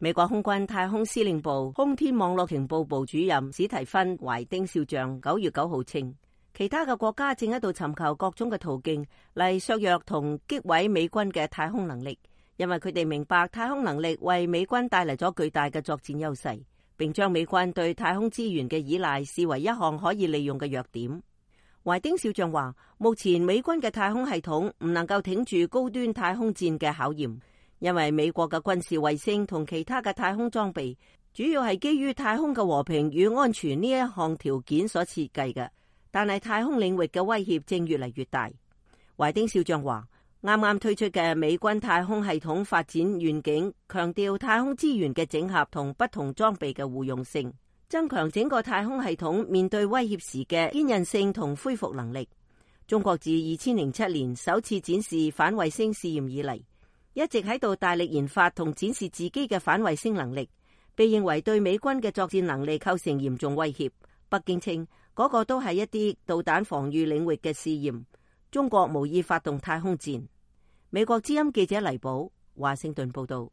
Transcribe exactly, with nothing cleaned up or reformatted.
美國空軍太空司令部空天網絡情報部主任史提芬·懷丁少將九月九號稱，其他嘅國家正喺度尋求各種嘅途徑嚟削弱同擊毀美軍嘅太空能力，因為佢哋明白太空能力為美軍帶嚟咗巨大嘅作戰優勢，並將美軍對太空資源嘅依賴視為一項可以利用嘅弱點。懷丁少將話，目前美軍嘅太空系統唔能夠挺住高端太空戰嘅考驗，因為美國嘅軍事衛星同其他嘅太空裝備主要係基於太空嘅和平與安全呢一項條件所設計嘅。但係太空領域嘅威脅正越嚟越大。懷丁少將話，啱啱推出嘅美軍太空系統發展願景強調太空資源嘅整合同不同裝備嘅互用性，增強整個太空系統面對威脅時嘅堅韌性同恢復能力。中國自二千零七年首次展示反衛星試驗以嚟，一直喺度大力研發同展示自己嘅反衛星能力，被認為對美軍嘅作戰能力構成嚴重威脅。北京稱嗰個都係一啲導彈防禦領域嘅試驗，中國無意發動太空戰。美國之音記者黎寶華盛頓報道。